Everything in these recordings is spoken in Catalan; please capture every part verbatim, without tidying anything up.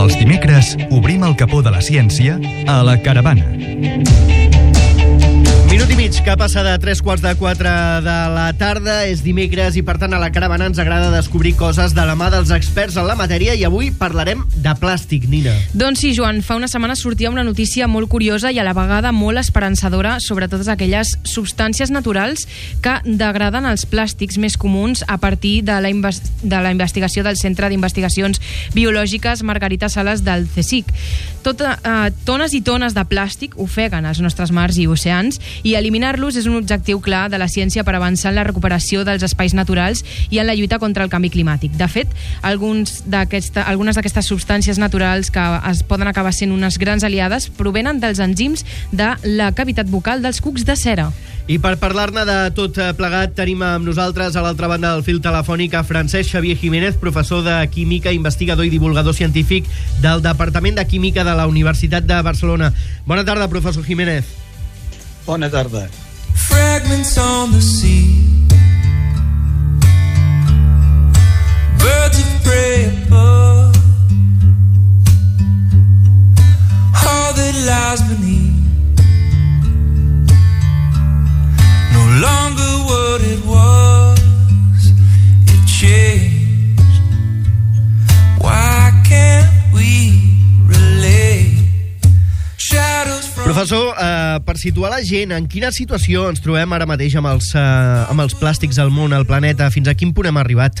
Els dimecres obrim el capó de la ciència a La Caravana. Minut i mig que passa de tres quarts de quatre de la tarda, és dimecres i per tant a La Caravana ens agrada descobrir coses de la mà dels experts en la matèria i avui parlarem de plàstic, Nina. Doncs sí, Joan, fa una setmana sortia una notícia molt curiosa i a la vegada molt esperançadora sobre totes aquelles substàncies naturals que degraden els plàstics més comuns a partir de la, invest de la investigació del Centre d'Investigacions Biològiques Margarita Sales del CSIC. Tota, eh, tones i tones de plàstic ofeguen els nostres mars i oceans i eliminar-los és un objectiu clar de la ciència per avançar en la recuperació dels espais naturals i en la lluita contra el canvi climàtic. De fet, alguns algunes d'aquestes substàncies naturals que es poden acabar sent unes grans aliades provenen dels enzims de la cavitat bucal dels cucs de cera. I per parlar-ne de tot plegat tenim amb nosaltres a l'altra banda del fil telefònic a Francesc Xavier Jiménez, professor de Química, investigador i divulgador científic del Departament de Química de la Universitat de Barcelona. Bona tarda, professor Jiménez. Bona tarda. Fragments on the sea, birds of prey above, all that lies beneath, no longer what it was, it changed. Why can't we relate? Professor, eh, per situar la gent, en quina situació ens trobem ara mateix amb els, eh, amb els plàstics al món, al planeta? Fins a quin punt hem arribat?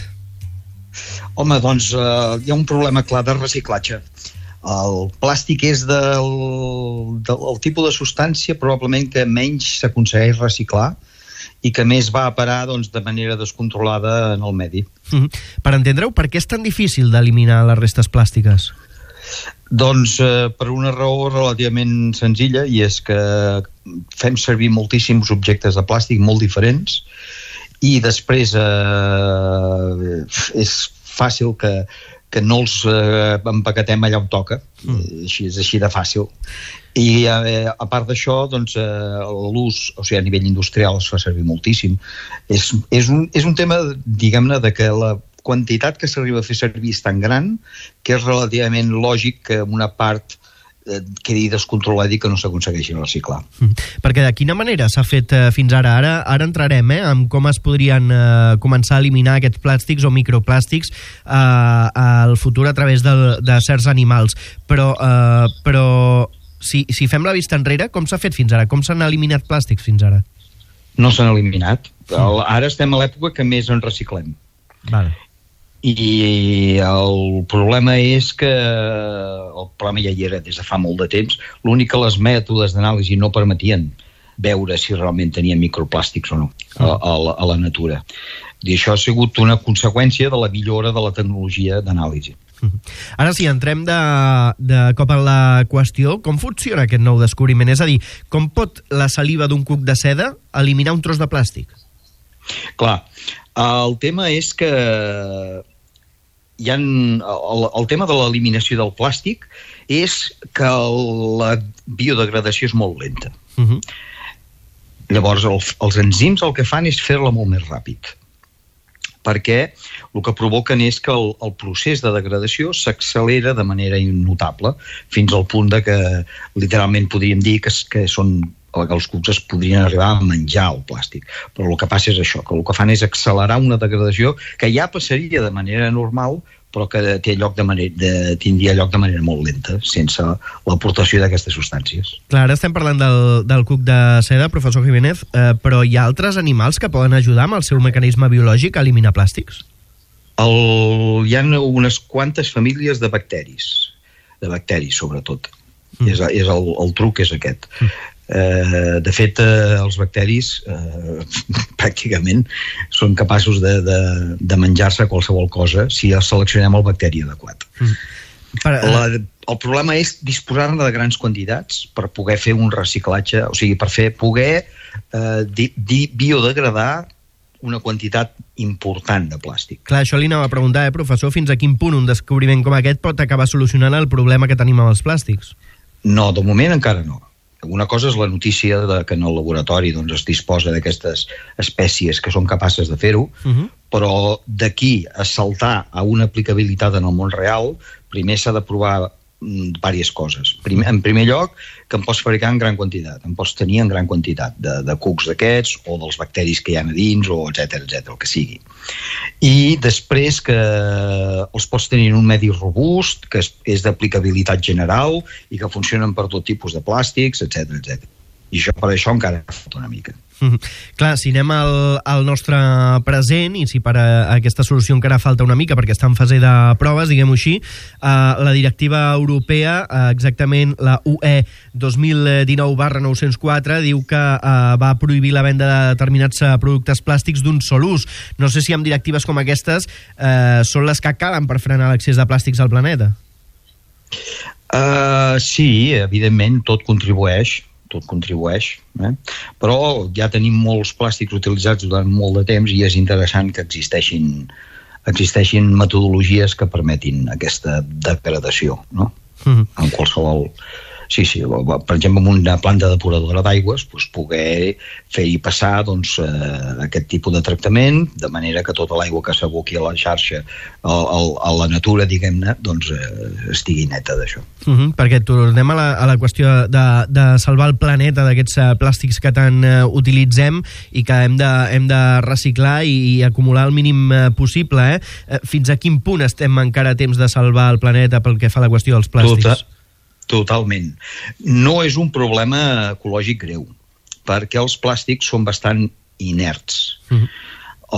Home, doncs eh, hi ha un problema clar de reciclatge. El plàstic és del, del, del tipus de substància probablement que menys s'aconsegueix reciclar i que més va a parar doncs, de manera descontrolada en el medi. Mm-hmm. Per entendre-ho, per què és tan difícil d'eliminar les restes plàstiques? Doncs eh, per una raó relativament senzilla, i és que fem servir moltíssims objectes de plàstic molt diferents i després eh, és fàcil que, que no els eh, empaquetem allà on toca. Mm. Així, és així de fàcil. I eh, a part d'això, doncs, eh, l'ús, o sigui, a nivell industrial es fa servir moltíssim. És, és, un, és un tema, diguem-ne, de que la quantitat que s'arriba a fer servir és tan gran que és relativament lògic que una part eh, quedi descontrolada i que no s'aconsegueixi reciclar. Mm. Perquè de quina manera s'ha fet eh, fins ara? Ara, ara entrarem eh, en com es podrien eh, començar a eliminar aquests plàstics o microplàstics eh, al futur a través de, de certs animals. Però, eh, però si, si fem la vista enrere, com s'ha fet fins ara? Com s'han eliminat plàstics fins ara? No s'han eliminat. Mm. Ara estem a l'època que més en reciclem. Vale. I el problema és que el problema ja hi era des de fa molt de temps. L'únic que les mètodes d'anàlisi no permetien veure si realment tenien microplàstics o no a, a, la, a la natura. I això ha sigut una conseqüència de la millora de la tecnologia d'anàlisi. Ara sí, entrem de, de cop en la qüestió. Com funciona aquest nou descobriment? És a dir, com pot la saliva d'un cuc de seda eliminar un tros de plàstic? Clar, el tema és que hi ha, el, el tema de l'eliminació del plàstic és que la biodegradació és molt lenta. Uh-huh. Llavors, el, els enzims el que fan és fer-la molt més ràpid, perquè el que provoquen és que el, el procés de degradació s'accelera de manera innotable, fins al punt de que literalment podríem dir que, que són que els cucs es podrien arribar a menjar el plàstic. Però el que passa és això, que el que fan és accelerar una degradació que ja passaria de manera normal, però que té lloc de manera, de, tindria lloc de manera molt lenta, sense l'aportació d'aquestes substàncies. Clar, ara estem parlant del, del cuc de seda, professor Jiménez, eh, però hi ha altres animals que poden ajudar amb el seu mecanisme biològic a eliminar plàstics? El, hi ha unes quantes famílies de bacteris, de bacteris sobretot. Mm. És, és el, el truc és aquest. Mm. Eh, de fet, eh, els bacteris eh, pràcticament són capaços de, de, de menjar-se qualsevol cosa si seleccionem el bacteri adequat. Mm. Per, uh... La, el problema és disposar-ne de grans quantitats per poder fer un reciclatge, o sigui, per fer, poder eh, di, di, biodegradar una quantitat important de plàstic. Clar, això li anava a preguntar, eh, professor, fins a quin punt un descobriment com aquest pot acabar solucionant el problema que tenim amb els plàstics? No, de moment encara no. una cosa és la notícia de que en el laboratori doncs, es disposa d'aquestes espècies que són capaces de fer-ho, uh-huh. però d'aquí a saltar a una aplicabilitat en el món real, primer s'ha de provar diverses coses. Primer, en primer lloc, que en pots fabricar en gran quantitat, en pots tenir en gran quantitat de, de cucs d'aquests o dels bacteris que hi ha a dins, o etcètera, etcètera, el que sigui. I després que els pots tenir en un medi robust, que és, és d'aplicabilitat general i que funcionen per tot tipus de plàstics, etcètera, etcètera. I això, per això encara falta una mica. Mm-hmm. Clar, si anem al, al nostre present i si per a aquesta solució encara falta una mica perquè està en fase de proves, diguem-ho així, eh, la directiva europea, eh, exactament la U E dos mil dinou barra nou-cents quatre, diu que eh, va prohibir la venda de determinats productes plàstics d'un sol ús. No sé si amb directives com aquestes eh, són les que calen per frenar l'accés de plàstics al planeta. Uh, sí, evidentment, tot contribueix, tot contribueix, eh? Però ja tenim molts plàstics utilitzats durant molt de temps i és interessant que existeixin, existeixin metodologies que permetin aquesta degradació, no? Mm-hmm. En qualsevol... Sí, sí, per exemple, en una planta depuradora d'aigües, doncs, poder fer-hi passar doncs, eh, aquest tipus de tractament, de manera que tota l'aigua que s'aboqui a la xarxa, a, a, a la natura, diguem-ne, doncs, eh, estigui neta d'això. Uh-huh, perquè tornem a la, a la qüestió de, de salvar el planeta d'aquests uh, plàstics que tant uh, utilitzem i que hem de, hem de reciclar i, i acumular el mínim uh, possible. Eh? Fins a quin punt estem encara a temps de salvar el planeta pel que fa a la qüestió dels plàstics? Tota. Totalment. No és un problema ecològic greu, perquè els plàstics són bastant inerts. Uh-huh.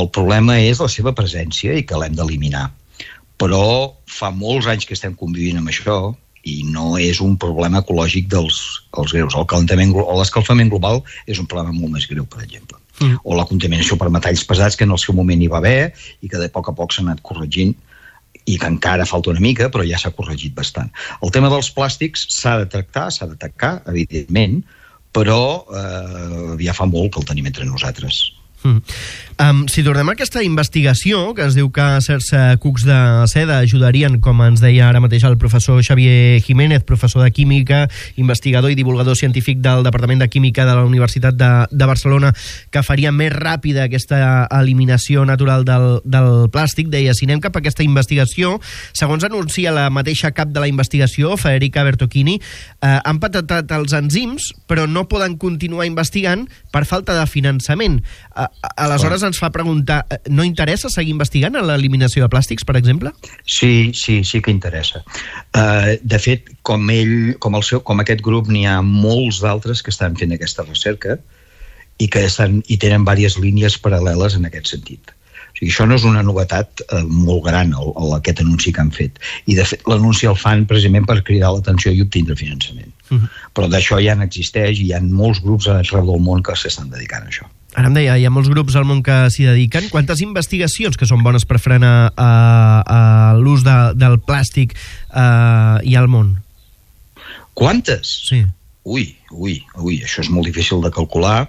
El problema és la seva presència i que l'hem d'eliminar. Però fa molts anys que estem convivint amb això i no és un problema ecològic dels els greus. El calentament o l'escalfament global és un problema molt més greu, per exemple. Uh-huh. O la contaminació per metalls pesats, que en el seu moment hi va haver i que de poc a poc s'ha anat corregint, i que encara falta una mica, però ja s'ha corregit bastant. El tema dels plàstics s'ha de tractar, s'ha d'atacar, evidentment, però eh, ja fa molt que el tenim entre nosaltres. Mm. Um, si tornem a aquesta investigació, que es diu que certs uh, cucs de seda ajudarien, com ens deia ara mateix el professor Xavier Jiménez, professor de Química, investigador i divulgador científic del Departament de Química de la Universitat de, de Barcelona, que faria més ràpida aquesta eliminació natural del, del plàstic, deia, si anem cap a aquesta investigació, segons anuncia la mateixa cap de la investigació, Federica Bertocchini, uh, han patentat els enzims, però no poden continuar investigant per falta de finançament. Uh, Aleshores ens fa preguntar, no interessa seguir investigant en l'eliminació de plàstics, per exemple? Sí, sí, sí que interessa. Uh, de fet, com ell, com, el seu, com aquest grup, n'hi ha molts d'altres que estan fent aquesta recerca i que estan, i tenen diverses línies paral·leles en aquest sentit. O sigui, això no és una novetat uh, molt gran, el, el, aquest anunci que han fet. I, de fet, l'anunci el fan precisament per cridar l'atenció i obtindre finançament. Uh-huh. Però d'això ja n'existeix i hi ha molts grups arreu del món que s'estan dedicant a això. Ara em deia, hi ha molts grups al món que s'hi dediquen. Quantes investigacions que són bones per frenar uh, uh, l'ús de, del plàstic uh, hi ha al món? Quantes? Sí. Ui, ui, ui, això és molt difícil de calcular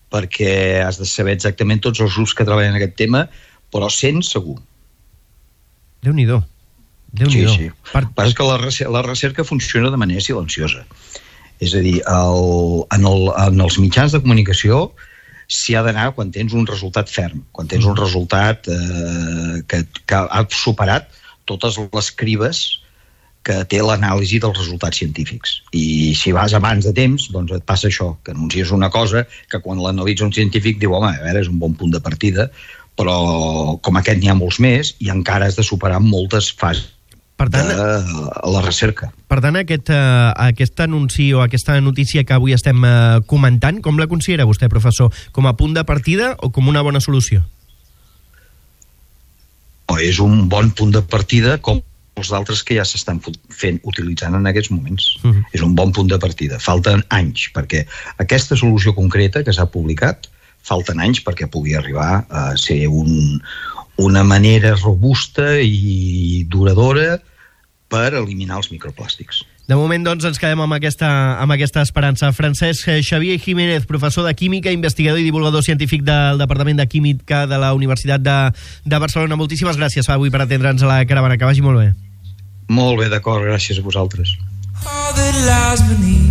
perquè has de saber exactament tots els grups que treballen en aquest tema, però cent segur. Déu-n'hi-do. Déu-n'hi-do. Sí, sí. Per... Però és que la, la recerca funciona de manera silenciosa. És a dir, el, en, el, en els mitjans de comunicació s'hi ha d'anar quan tens un resultat ferm, quan tens un resultat eh, que, que ha superat totes les cribes que té l'anàlisi dels resultats científics. I si vas abans de temps, doncs et passa això, que anuncies una cosa que quan l'analitza un científic diu, home, a veure, és un bon punt de partida, però com aquest n'hi ha molts més i encara has de superar moltes fases per tant, de la recerca. Per tant, aquest, uh, aquest anunci o aquesta notícia que avui estem uh, comentant, com la considera vostè, professor? Com a punt de partida o com una bona solució? O és un bon punt de partida com els altres que ja s'estan fent, utilitzant en aquests moments. Uh-huh. És un bon punt de partida. Falten anys, perquè aquesta solució concreta que s'ha publicat, falten anys perquè pugui arribar a ser un... una manera robusta i duradora per eliminar els microplàstics. De moment, doncs, ens quedem amb aquesta, amb aquesta esperança. Francesc Xavier Jiménez, professor de Química, investigador i divulgador científic del Departament de Química de la Universitat de, de Barcelona. Moltíssimes gràcies avui per atendre'ns a la caravana. Que vagi molt bé. Molt bé, d'acord. Gràcies a vosaltres. All that lies beneath